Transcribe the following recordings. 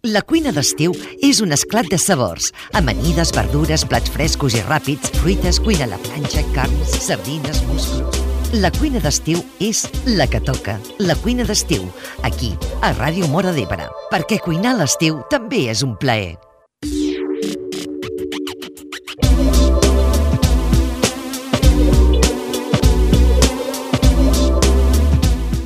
La cuina d'estiu és un esclat de sabors. Amanides, verdures, plats frescos i ràpids, fruites, cuina a la planxa, carns, sardines, musclos. La cuina d'estiu és la que toca. La cuina d'estiu, aquí, a Ràdio Móra d'Ebre. Perquè cuinar a l'estiu també és un plaer.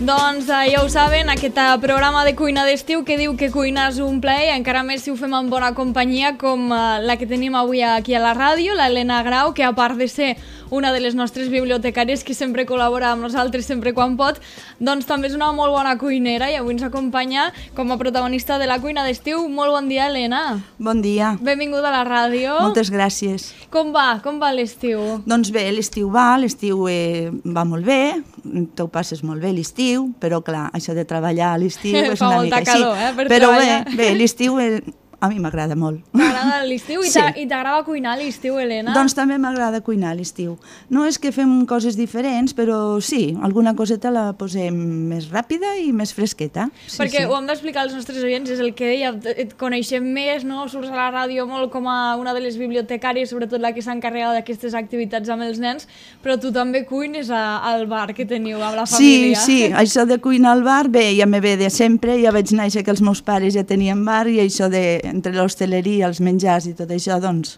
Doncs ja ho saben, aquest programa de cuina d'estiu que diu que cuinar és un plaer, encara més si ho fem en bona companyia com la que tenim avui aquí a la ràdio, l'Helena Grau, que a part de ser una de les nostres bibliotecàries que sempre col·labora amb nosaltres sempre quan pot, doncs també és una molt bona cuinera i avui ens acompanya com a protagonista de la cuina d'estiu. Molt bon dia, Helena. Bon dia. Benvinguda a la ràdio. Moltes gràcies. Com va l'estiu? Doncs bé, l'estiu va molt bé, tu passes molt bé l'estiu, però clar, això de treballar a l'estiu és una mica així. Fa molta calor, per però treballar. Bé, l'estiu a mi m'agrada molt. T'agrada l'estiu? Sí. I t'agrada cuinar a l'estiu, Helena? Doncs també m'agrada cuinar a l'estiu. No és que fem coses diferents, però sí, alguna coseta la posem més ràpida i més fresqueta. Sí, perquè sí. ho hem d'explicar als nostres oients, és el que deia, et coneixem més, no? Surts a la ràdio molt com a una de les bibliotecàries, sobretot la que s'encarrega d'aquestes activitats amb els nens, però tu també cuines al bar que teniu amb la família. Sí, això de cuinar al bar, bé, ja me ve de sempre, ja vaig néixer que els meus pares ja tenien bar i això de entre l'hostaleria, els menjars i tot això, doncs,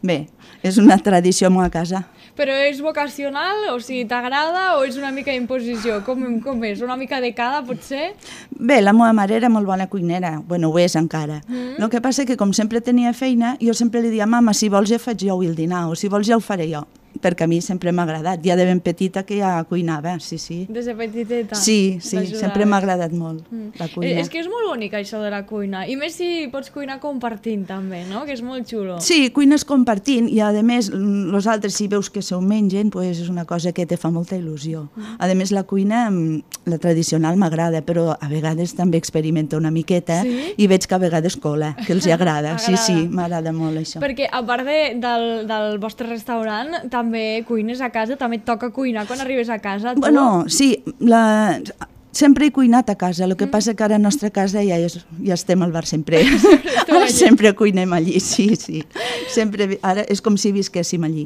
bé, és una tradició a la casa. Però és vocacional? O sigui, t'agrada o és una mica imposició? Com és? Una mica de cada, potser? Bé, la meva mare era molt bona cuinera, bueno, ho és encara. El que passa que com sempre tenia feina, jo sempre li dia, mama, si vols ja faig jo el dinar, o si vols ja ho faré jo, perquè a mi sempre m'ha agradat, ja de ben petita que ja cuinava, sí. Des de petiteta? Sí, sempre m'ha agradat molt la cuina. És que és molt bonic això de la cuina, i més si pots cuinar compartint també, no? Que és molt xulo. Sí, cuines compartint i a més els altres si veus que s'ho mengen pues és una cosa que te fa molta il·lusió. A més la cuina, la tradicional m'agrada, però a vegades també experimento una miqueta i veig que a vegades cola, que els agrada. Sí, m'agrada molt això. Perquè a part del vostre restaurant també cuines a casa, també et toca cuinar quan arribes a casa. Bueno, sí, sempre he cuinat a casa, el que passa que ara a la nostra casa ja estem al bar sempre. Sempre cuinem allí, sí. Sempre, ara és com si visquéssim allí.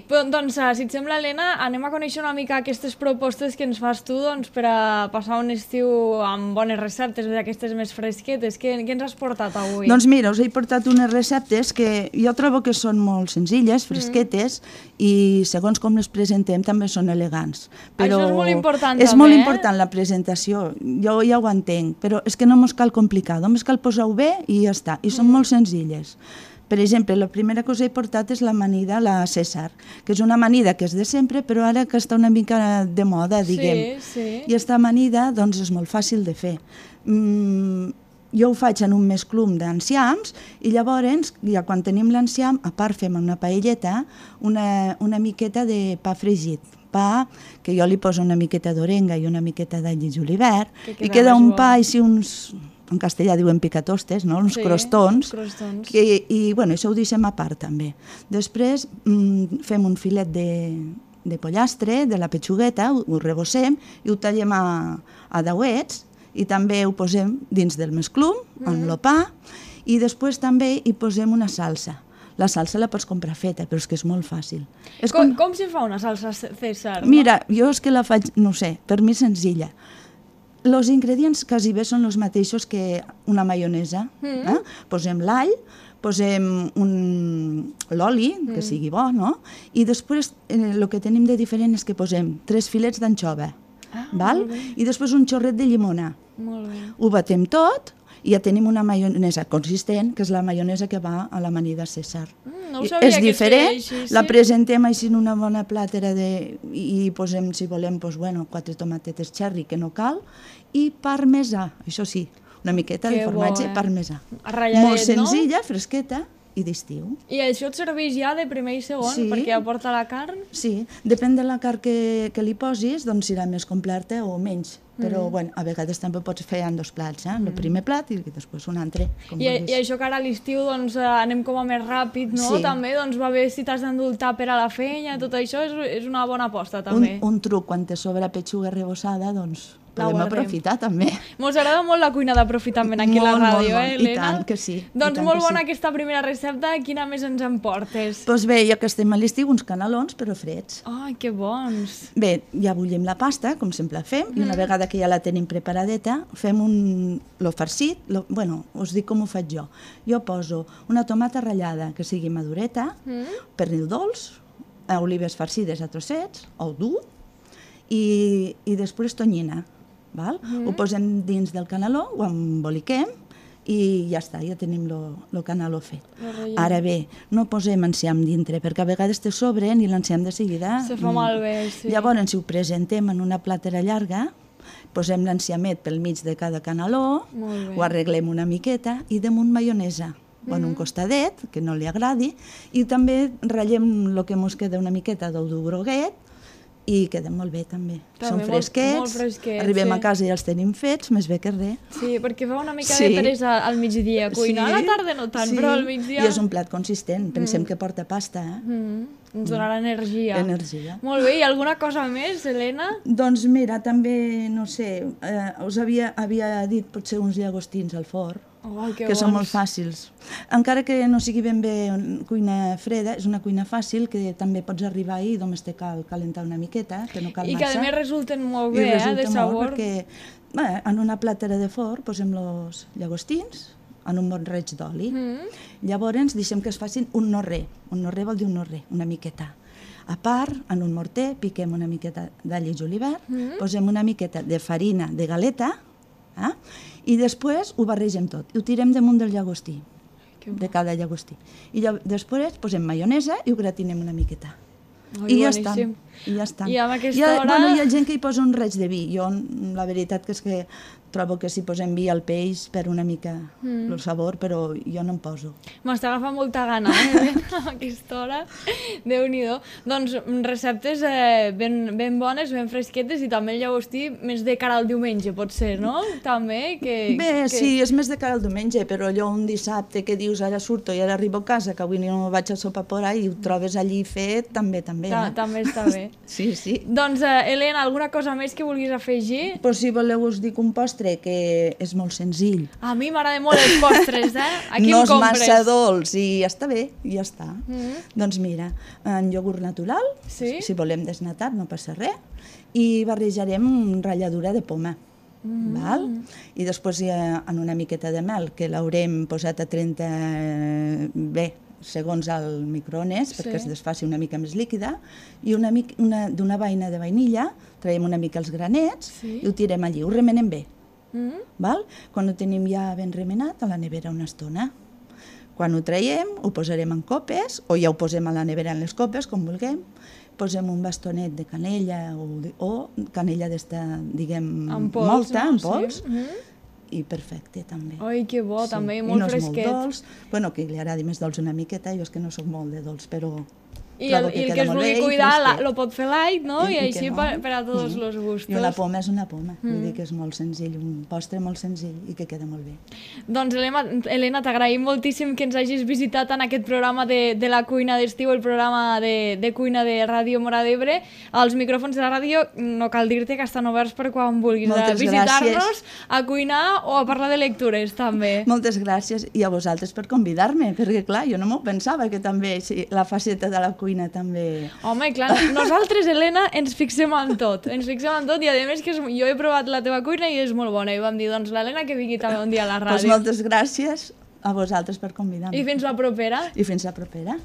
Doncs, si et sembla, Helena, anem a conèixer una mica aquestes propostes que ens fas tu per a passar un estiu amb bones receptes, d'aquestes més fresquetes. Què ens has portat avui? Doncs mira, us he portat unes receptes que jo trobo que són molt senzilles, fresquetes, i segons com les presentem també són elegants. Això és molt important també, És molt important la presentació, jo ja ho entenc, però és que no mos cal complicar, només cal posar-ho bé i ja està, i són molt senzilles. Per exemple, la primera que us he portat és l'amanida, la César, que és una amanida que és de sempre, però ara que està una mica de moda, diguem. Sí. I aquesta amanida, doncs, és molt fàcil de fer. Jo ho faig en un mesclum d'enciams i llavors, ja quan tenim l'enciam, a part fem una paelleta, una miqueta de pa fregit. Pa que jo li poso una miqueta d'orenga i una miqueta d'all i julivert i queda un pa així uns... En castellà diuen picatostes, no? Uns crostons. I bueno, això ho deixem a part també. Després fem un filet de pollastre, de la petxugueta, ho rebossem i ho tallem a dauets i també ho posem dins del mesclum, amb el pa, i després també hi posem una salsa. La salsa la pots comprar feta, però és que és molt fàcil. Com se fa una salsa César? Mira, jo és que la faig, no sé, per mi senzilla. Els ingredients quasi bé són els mateixos que una maionesa. Posem l'all, posem l'oli, que sigui bo, no? I després el que tenim de diferent és que posem 3 filets d'anxova, i després un xorret de llimona. Ho batem tot i ja tenim una maionesa consistent, que és la maionesa que va a l'amanida César. No ho sabia és que diferent, es feia així, la presentem així en una bona plàtera i posem, si volem, 4 tomatetes cherry, que no cal, i parmesà, això sí, una miqueta de formatge parmesà. Molt senzilla, fresqueta i d'estiu. I això et serveix ja de primer i segon, perquè aporta la carn? Sí, depèn de la carn que li posis, doncs serà més completa o menys. Però bueno, a vegades també pots fer en 2 plats, el primer plat i després un altre. I això que ara a l'estiu anem com a més ràpid, no? També va bé si t'has d'endultar per a la feina, tot això és una bona aposta també. Un truc, quan te sobra petxuga rebossada, doncs podem aprofitar també. Mos agrada molt la cuina d'aprofitament aquí a la ràdio, Helena? I tant que sí. Doncs molt bona aquesta primera recepta. Quina més ens en portes? Doncs bé, ja que estem a l'estiu, uns canelons, però freds. Ai, que bons. Bé, ja bullim la pasta, com sempre fem, i una vegada que ja la tenim preparadeta, fem lo farcit, bueno, us dic com ho faig jo. Jo poso una tomata ratllada que sigui madureta, pernil dolç, olives farcides a trossets, ou dur, i després tonyina. Ho posem dins del caneló, ho emboliquem i ja està, ja tenim el caneló fet. Ara bé, no posem enciam dintre, perquè a vegades te sobren i l'enciam de seguida... Se fa malbé, sí. Llavors, si ho presentem en una plàtera llarga, posem l'enciamet pel mig de cada caneló, ho arreglem una miqueta i damunt maionesa. En un costadet, que no li agradi, i també ratllem el que ens queda una miqueta d'ou groguet i queden molt bé també. Són fresquets, arribem a casa i els tenim fets, més bé que res. Sí, perquè fa una mica de peresa al migdia cuinar, a la tarda no tant, però al migdia... I és un plat consistent, pensem que porta pasta. Ens donarà energia. Energia. Molt bé, i alguna cosa més, Helena? Doncs mira, també, no sé, us havia dit potser uns llagostins al forn, que són molt fàcils. Encara que no sigui ben bé cuina freda, és una cuina fàcil que també pots arribar i només te cal calentar una miqueta, que no cal massa. I que a més resulten molt bé, de sabor. Perquè en una plàtera de forn posem els llagostins en un bon raig d'oli. Llavors deixem que es facin un no-re. Un no-re vol dir un no-re, una miqueta. A part, en un morter, piquem una miqueta d'all i julivert, posem una miqueta de farina de galeta, i després ho barregem tot. I ho tirem damunt del llagostí, de cada llagostí. I després posem maionesa i ho gratinem una miqueta. I ja està. I amb aquesta hora... Hi ha gent que hi posa un raig de vi. Jo, la veritat que és que trobo que si posem vi al peix perd una mica el sabor, però jo no en poso. M'està agafant molta gana, a aquesta hora. Déu-n'hi-do. Doncs receptes ben bones, ben fresquetes, i també el llagostí més de cara al diumenge, potser, no? També Bé, sí, és més de cara al diumenge, però allò un dissabte que dius ara surto i ara arribo a casa, que avui no vaig a sopar por ahí, i ho trobes allí fet, també. També està bé. Sí. Doncs, Helena, alguna cosa més que vulguis afegir? Però si voleu us dic un postre que és molt senzill. A mi m'agrada molt els postres, Aquí no em compres. No és massa dolç i ja està bé, ja està. Doncs mira, en iogurt natural, si volem desnatat no passa res, i barrejarem ratlladura de poma. I després en una miqueta de mel, que l'haurem posat a 30 segons al microones perquè es desfaci una mica més líquida, i d'una vaina de vainilla traiem una mica els granets i ho tirem allí, ho remenem bé. Quan ho tenim ja ben remenat, a la nevera una estona. Quan ho traiem, ho posarem en copes, o ja ho posem a la nevera en les copes, com vulguem, posem un bastonet de canella o canella d'esta, diguem, molta, en pols, i perfecte, també. Ai, que bo, també, i molt fresquet. I no és molt dolç, bueno, que li agradi més dolç una miqueta, jo és que no soc molt de dolç, però I el que es vulgui cuidar lo pot fer light, no? I així per a tots els gustos. I una poma és una poma, vull dir que és molt senzill, un postre molt senzill i que queda molt bé. Doncs, Helena, t'agraïm moltíssim que ens hagis visitat en aquest programa de la cuina d'estiu, el programa de cuina de Ràdio Móra d'Ebre. Els micròfons de la ràdio, no cal dir-te que estan oberts per quan vulguis visitar-nos, a cuinar o a parlar de lectures, també. Moltes gràcies, i a vosaltres per convidar-me, perquè clar, jo no m'ho pensava que també la faceta de la cuina també... Home, clar, nosaltres, Helena, ens fixem en tot, i a més que jo he provat la teva cuina i és molt bona, i vam dir, doncs, l'Helena que vingui també un dia a la ràdio. Doncs moltes gràcies a vosaltres per convidar-me. I fins la propera. I fins la propera.